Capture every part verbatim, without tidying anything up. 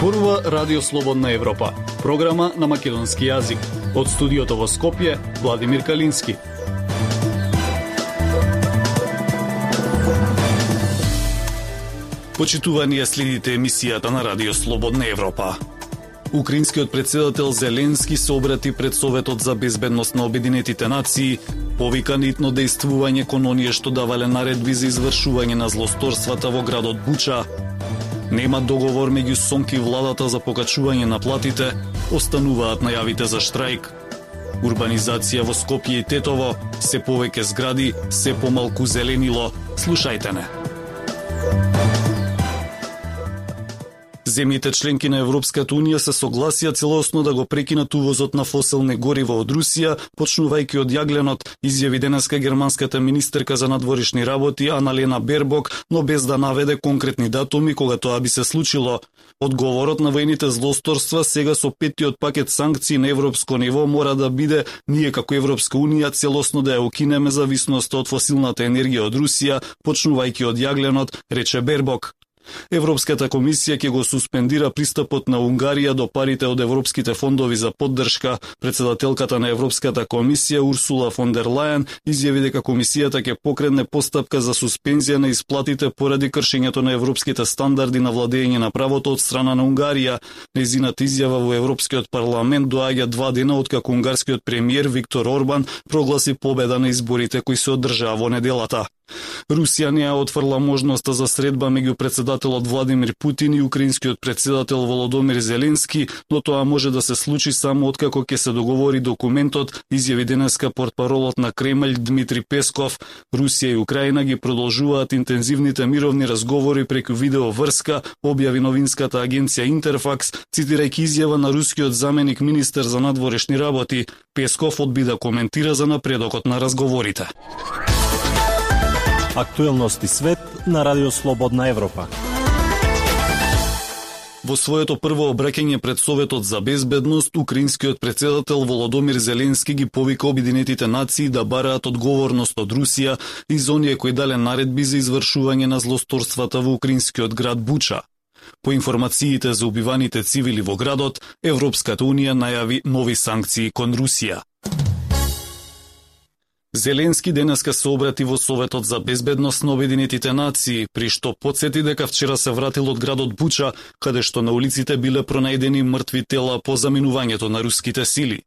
Зборува Радио Слободна Европа, програма на македонски јазик. Од студиото во Скопје, Владимир Калински. Почитувани ја следите емисијата на Радио Слободна Европа. Украинскиот председател Зеленски се обрати пред Советот за безбедност на Обединетите нации, повика нитно дејствување кон оние што давале наредби за извршување на злосторствата во градот Буча. Нема договор меѓу СОНК и владата за покачување на платите, остануваат најавите за штрајк. Урбанизација во Скопје и Тетово, се повеќе згради, се помалку зеленило. Слушајте не. Земјите членки на Европската Унија се согласија целосно да го прекинат увозот на фосилни горива од Русија, почнувајќи од јагленот, изјави денеска германската министерка за надворешни работи Аналена Бербок, но без да наведе конкретни датуми кога тоа би се случило. Одговорот на воените злосторства сега со петтиот пакет санкции на европско ниво мора да биде ние како Европска Унија целосно да ја укинеме зависноста од фосилната енергија од Русија, почнувајќи од јагленот, рече Бербок. Европската комисија ќе го суспендира пристапот на Унгарија до парите од европските фондови за поддршка. Председателката на Европската комисија Урсула фон дер Лајен изјави дека комисијата ќе покрене постапка за суспензија на исплатите поради кршењето на европските стандарди на владење на правото од страна на Унгарија. Нејзината изјава во Европскиот парламент доаѓа два дена откако унгарскиот премиер Виктор Орбан прогласи победа на изборите кои се одржаа во неделата. Русија не ја отфрла можноста за средба меѓу председателот Владимир Путин и украинскиот председател Володомир Зеленски, но тоа може да се случи само откако ќе се договори документот, изјави денеска портпаролот на Кремљ Дмитри Песков. Русија и Украина ги продолжуваат интензивните мировни разговори преку видеоврска, објави новинската агенција Интерфакс, цитирајќи изјава на рускиот заменик министер за надворешни работи. Песков одби да коментира за напредокот на разговорите. Актуелности свет на Радио Слободна Европа. Во своето прво обраќање пред Советот за безбедност, украинскиот председател Володомир Зеленски ги повика Обединетите нации да бараат одговорност од Русија и за оние кои дале наредби за извршување на злосторствата во украинскиот град Буча. По информациите за убиваните цивили во градот, Европската Унија најави нови санкции кон Русија. Зеленски денеска се обрати во Советот за безбедност на Обединетите нации, при што потсети дека вчера се вратил од градот Буча, каде што на улиците биле пронајдени мртви тела по заминувањето на руските сили.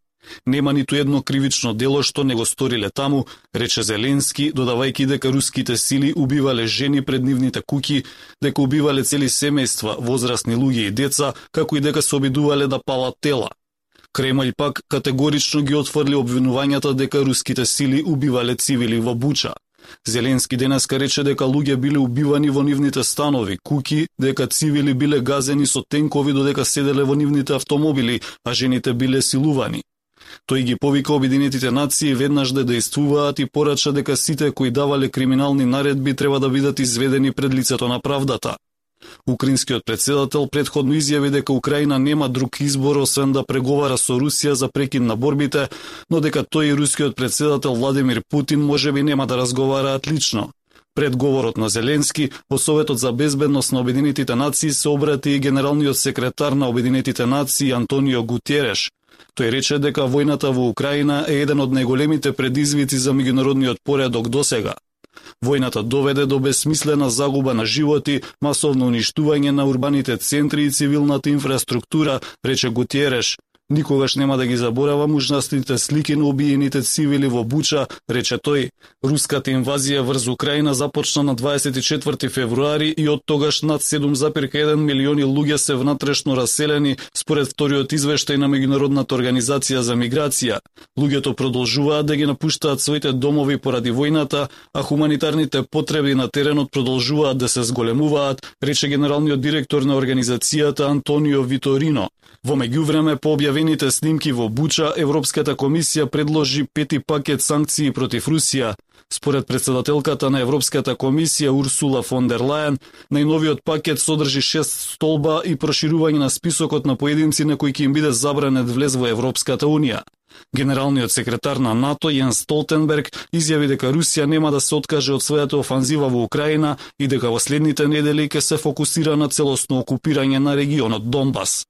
Нема ниту едно кривично дело што не го сториле таму, рече Зеленски, додавајќи дека руските сили убивале жени пред нивните куќи, дека убивале цели семејства, возрастни луѓе и деца, како и дека се обидувале да палат тела. Кремљ пак категорично ги отфрли обвинувањата дека руските сили убивале цивили во Буча. Зеленски денеска рече дека луѓе биле убивани во нивните станови, куќи, дека цивили биле газени со тенкови додека седеле во нивните автомобили, а жените биле силувани. Тој ги повика Обединетите нации веднаш да дејствуваат и порача дека сите кои давале криминални наредби треба да бидат изведени пред лицето на правдата. Украинскиот председател претходно изјави дека Украина нема друг избор освен да преговара со Русија за прекин на борбите, но дека тој и рускиот председател Владимир Путин можеби нема да разговараат лично. Пред говорот на Зеленски, во Советот за безбедност на Обединетите нации се обрати и генералниот секретар на Обединетите нации Антонио Гутереш. Тој рече дека војната во Украина е еден од најголемите предизвици за меѓународниот поредок досега. Војната доведе до безсмислена загуба на животи, масовно уништување на урбаните центри и цивилната инфраструктура, рече Гутереш. Никогаш нема да ги заборавам ужасните слики на убиените цивили во Буча, рече тој. Руската инвазија врз Украина започна на дваесет и четврти февруари и од тогаш над седум зарез еден милиони луѓе се внатрешно раселени, според вториот извештај на Меѓународната организација за миграција. Луѓето продолжуваат да ги напуштаат своите домови поради војната, а хуманитарните потреби на теренот продолжуваат да се зголемуваат, рече генералниот директор на организацијата Антонио Виторино. Во меѓувреме, по објавените снимки во Буча, Европската комисија предложи пети пакет санкции против Русија. Според председателката на Европската комисија Урсула фон дер Лајен, најновиот пакет содржи шест столба и проширување на списокот на поединци на кои ќе им биде забранет влез во Европската Унија. Генералниот секретар на НАТО Јенс Столтенберг изјави дека Русија нема да се откаже од својата офанзива во Украина и дека во следните недели ќе се фокусира на целосно окупирање на регионот Донбас.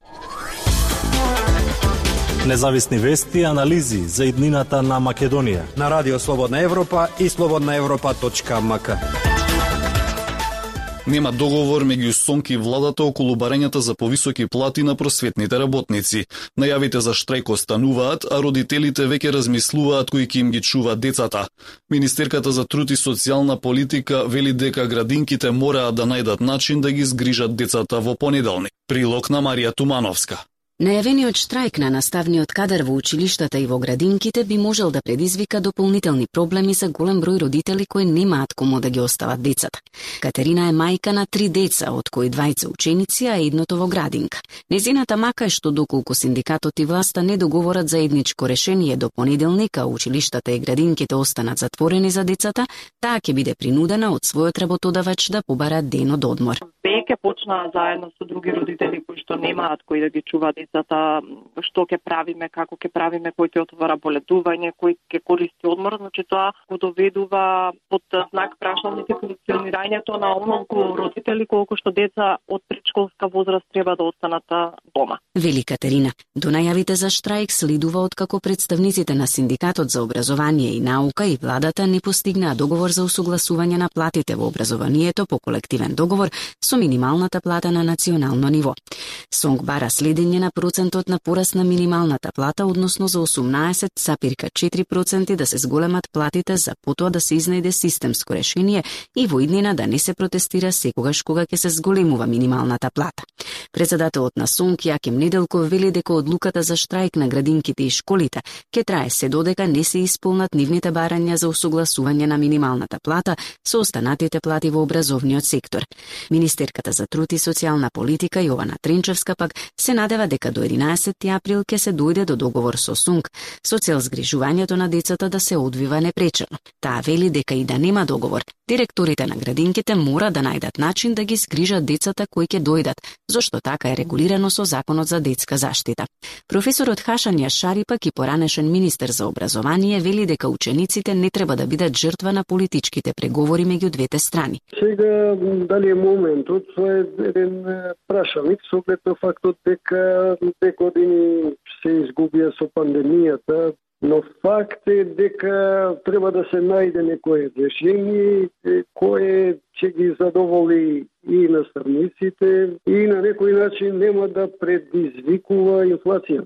Независни вести и анализи за иднината на Македонија на Радио Слободна Европа и слободна европа точка ем ка. Нема договор меѓу СОНК и владата околу барањата за повисоки плати на просветните работници. Најавите за штрајк остануваат, а родителите веќе размислуваат кои ќе им ги чуваат децата. Министерката за труд и социјална политика вели дека градинките мораат да најдат начин да ги згрижат децата во понеделник. Прилог на Марија Тумановска. Најавениот штрајк на наставниот кадар во училиштата и во градинките би можел да предизвика дополнителни проблеми за голем број родители кои немаат кому да ги остават децата. Катерина е мајка на три деца, од кои двајца ученици, а едното во градинка. Незината мака е што доколку синдикатот и власта не договорат заедничко решение до понеделник, а училиштата и градинките останат затворени за децата, таа ќе биде принудена од својот работодавач да побара ден од одмор. Веќе почнаа заедно со други родители кои што немаат кои да ги чуваат децата, што ќе правиме, како ќе правиме, кој ќе отвора боледување, кој ќе користи одмор, значи тоа го доведува под знак прашалник функционирањето на онолку родители колку што деца од предшколска возраст треба да останат дома. Вели Катерина, до најавите за штрајк следува откако представниците на Синдикатот за образование и наука и владата не постигнаа договор за усогласување на платите во образованието по колективен договор со минималната плата на национално ниво. СОНК бара следење на процентот на пораст на минималната плата, односно за осумнаесет цели четири проценти да се зголемат платите, за потоа да се изнајде системско решение и во иднина да не се протестира секогаш кога ќе се зголемува минималната плата. Председателот на СОНК Јаким Неделков вели дека одлуката за штрајк на градинките и школите ќе трае се додека не се исполнат нивните барања за усогласување на минималната плата со останатите плати во образовниот сектор. Министерката за труд и социјална политика Јована Тренчевска пак се надева дека до единаесети април ќе се дојде до договор со СОНК со цел згрижувањето на децата да се одвива непречено. Таа вели дека и да нема договор, директорите на градинките мора да најдат начин да ги згрижат децата кои ќе дојдат, зашто така е регулирано со Законот за детска заштита. Професорот Хашан Јашари пак и поранешен министер за образование вели дека учениците не треба да бидат жртва на политичките преговори меѓу двете страни. Сега дали е моментот, тоа е еден прашалник со оглед на фактот дека две години се изгубија со пандемијата, но факт е дека треба да се најде некое решение кое ќе ги задоволи и наставниците и на некој начин нема да предизвикува инфлација.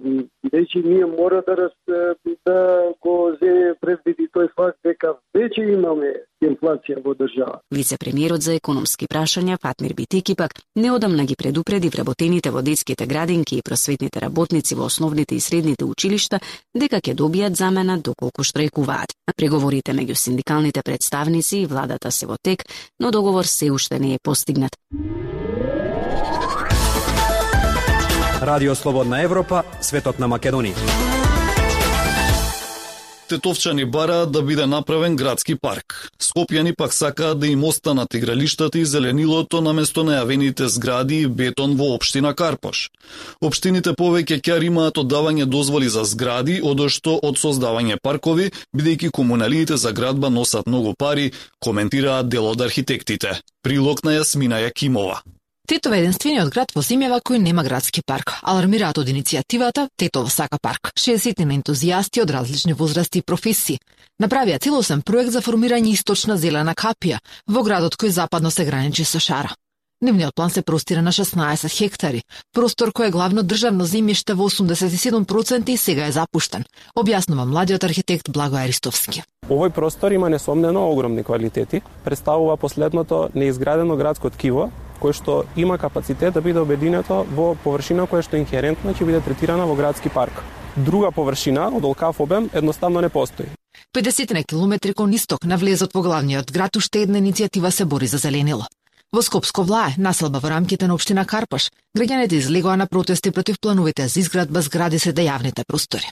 Веќе ние мора да раз, да го земе предвиди тој факт дека веќе имаме инфлација во држава. Вице-премиерот за економски прашања Фатмир Битеки пак неодамна ги предупреди вработените во детските градинки и просветните работници во основните и средните училишта дека ќе добијат замена доколку штрајкуваат. Преговорите меѓу синдикалните представници и владата се во тек, но договор се уште не е постигнат. Радио Слободна Европа, светот на Македонија. Тетовчани бараат да биде направен градски парк. Скопјани пак сакаат да им останат игралиштата и зеленилото наместо најавените згради и бетон во општина Карпош. Општините повеќе ќе имаат оддавање дозволи за згради, одошто од создавање паркови, бидејќи комуналиите за градба носат многу пари, коментираат дел од архитектите. Прилог на Јасмина Јакимова. Тетово е единствениот град во земјава кој нема градски парк. Алармираат од иницијативата Тетово сака парк. шеесет ентузијасти од различни возрасти и професии направија целосен проект за формирање источна зелена капија во градот кој западно се граничи со Шара. Нивниот план се простира на шеснаесет хектари, простор кој е главно државно земјиште во осумдесет и седум проценти и сега е запуштен, објаснува младиот архитект Благој Аристовски. Овој простор има несомнено огромни квалитети, представува последното неизградено градско ткиво, кој што има капацитет да биде обединето во површина која што инхерентно ќе биде третирана во градски парк. Друга површина од олкав обем едноставно не постои. педесет на километри кон исток на влезот во главниот град уште една иницијатива се бори за зеленило. Во Скопско Влае, населба во рамките на општина Карпаш, граѓаните излегоа на протести против плановите за изградба згради сред јавните простори.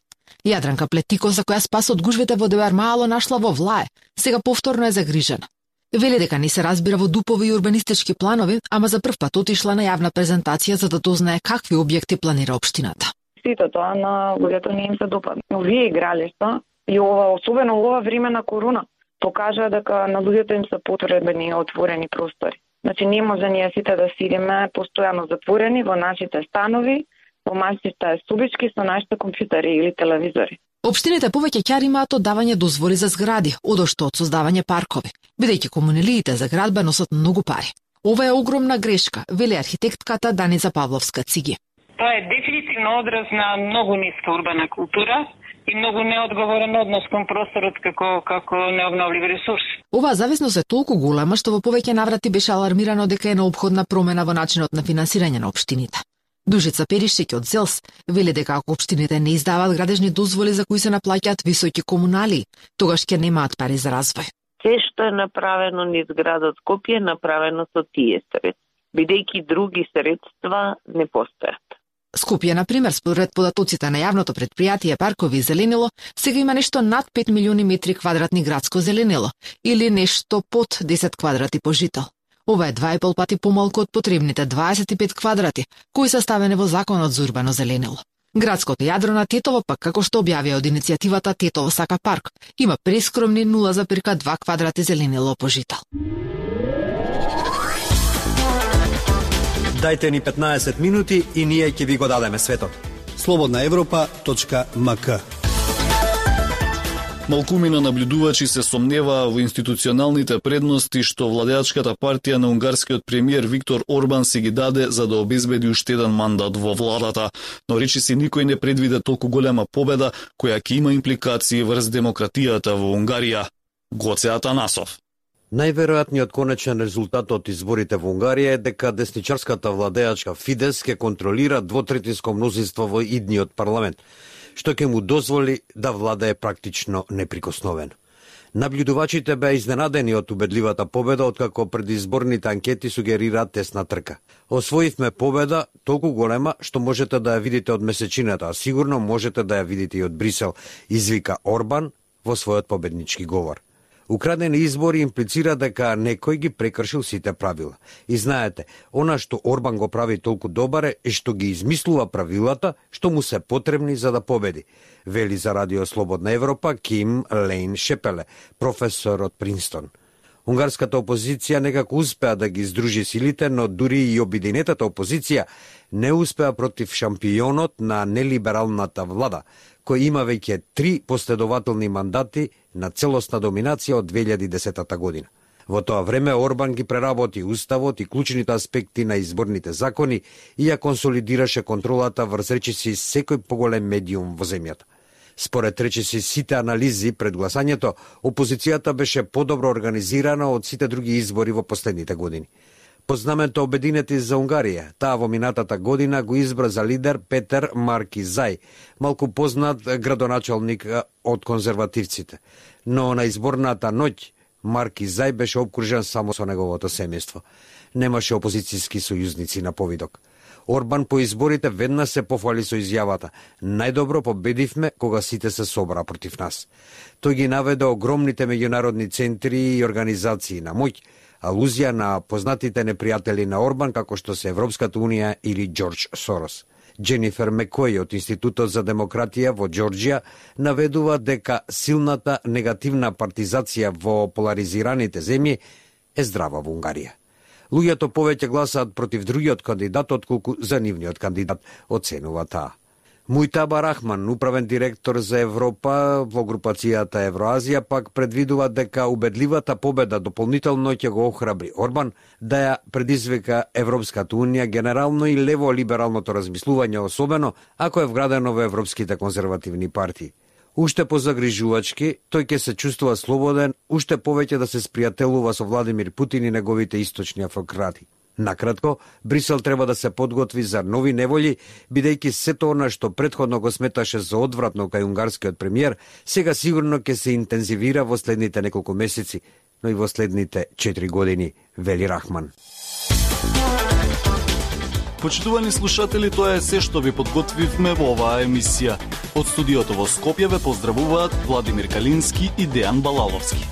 Јадранка Плетико, за која спас од гужвите во Девар Мало нашла во Влае, сега повторно е загрижена. Вели дека не се разбира во дупови и урбанистички планови, ама за прв пат отишла на јавна презентација за да дознае какви објекти планира општината. Сите тоа на луѓето не им се допадна. Овие игралишта и ова, особено ова време на корона, покажа дека на луѓето им се потребни отворени простори. Значи не може ние сите да сидиме постојано затворени во нашите станови, во нашите собички со нашите компјутери или телевизори. Општините повеќе ќе имаат од давање дозволи за згради, одошто од создавање паркови, бидејќи комуналиите за градба носат многу пари. Ова е огромна грешка, вели архитектката Даница Павловска-Циги. Тоа е дефинитивно одраз на многу ниска урбана култура и многу неодговорен однос кон просторот како како необновлив ресурс. Оваа зависност е толку голема што во повеќе наврати беше алармирано дека е неопходна промена во начинот на финансирање на општините. Дужица Перишек од ЗЕЛС вели дека ако општините не издаваат градежни дозволи за кои се наплаќаат високи комунали, тогаш ќе немаат пари за развој. Се што е направено низ градот Скопје е направено со тие средства, бидејќи други средства не постојат. Скопје, например, според податоците на јавното предпријатие Паркови и зеленило, сега има нешто над пет милиони метри квадратни градско зеленило, или нешто под десет квадрати по жител. Ова е два и пол пати помалку од потребните дваесет и пет квадрати, кои се ставени во Законот за урбано зеленило. Градското јадро на Тетово, пак како што објавија од иницијативата Тетово сака парк, има прескромни нула запирка два квадрати зеленило по жител. Дајте ни петнаесет минути и ние ќе ви го дадеме светот. слободна европа точка ем ка. Малкумина наблюдувачи се сомневаа во институционалните предности што владеачката партија на унгарскиот премиер Виктор Орбан си ги даде за да обезбеди уште еден мандат во владата, но речиси никој не предвиде толку голема победа која ќе има импликации врз демократијата во Унгарија. Гоце Атанасов. Најверојатниот конечен резултат од изборите во Унгарија е дека десничарската владеачка Фидес ќе контролира двотретинско мнозинство во идниот парламент, што ќе му дозволи да владее практично неприкосновено. Наблюдувачите беа изненадени од убедливата победа, откако предизборните анкети сугерираат тесна трка. Освоивме победа толку голема што можете да ја видите од месечината, а сигурно можете да ја видите и од Брисел, извика Орбан во својот победнички говор. Украдени избори имплицира дека некој ги прекршил сите правила. И знаете, она што Орбан го прави толку добар е што ги измислува правилата што му се потребни за да победи, вели за Радио Слободна Европа Ким Лейн Шепеле, професор од Принстон. Унгарската опозиција некако успеа да ги издружи силите, но дури и обединетата опозиција не успеа против шампионот на нелибералната влада, кој има веќе три последователни мандати на целосна доминација од две илјади и десета година. Во тоа време Орбан ги преработи уставот и клучните аспекти на изборните закони и ја консолидираше контролата врз речиси секој поголем медиум во земјата. Според речиси сите анализи пред гласањето, опозицијата беше подобро организирана од сите други избори во последните години. Под знамето Обединети за Унгарија, таа во минатата година го избра за лидер Петер Маркизај, малку познат градоначалник од конзервативците. Но на изборната ноќ Маркизај беше обкружен само со неговото семејство. Немаше опозицијски сојузници на повидок. Орбан по изборите веднаш се пофали со изјавата: најдобро победивме кога сите се собра против нас. Тој ги наведе огромните меѓународни центри и организации на моќ, алузија на познатите непријатели на Орбан како што се Европската унија или Џорџ Сорос. Дженифер Мекој од Институтот за демократија во Џорџија наведува дека силната негативна партизација во поларизираните земји е здрава во Унгарија. Луѓето повеќе гласаат против другиот кандидат отколку за нивниот кандидат, оценува таа. Мујтаба Рахман, управен директор за Европа во групацијата Евроазија, пак предвидува дека убедливата победа дополнително ќе го охрабри Орбан да ја предизвика Европската унија, генерално и лево-либералното размислување, особено ако е вградено во европските конзервативни партии. Уште позагрижувачки, тој ќе се чувствува слободен, уште повеќе да се спријателува со Владимир Путин и неговите источни автократи. Накратко, Брисел треба да се подготви за нови неволји, бидејќи сето она што претходно го сметаше за одвратно кај унгарскиот премиер, сега сигурно ќе се интензивира во следните неколку месеци, но и во следните четири години, вели Рахман. Почитувани слушатели, тоа е се што ви подготвивме во оваа емисија. Од студиото во Скопје ве поздравуваат Владимир Калински и Дејан Балаловски.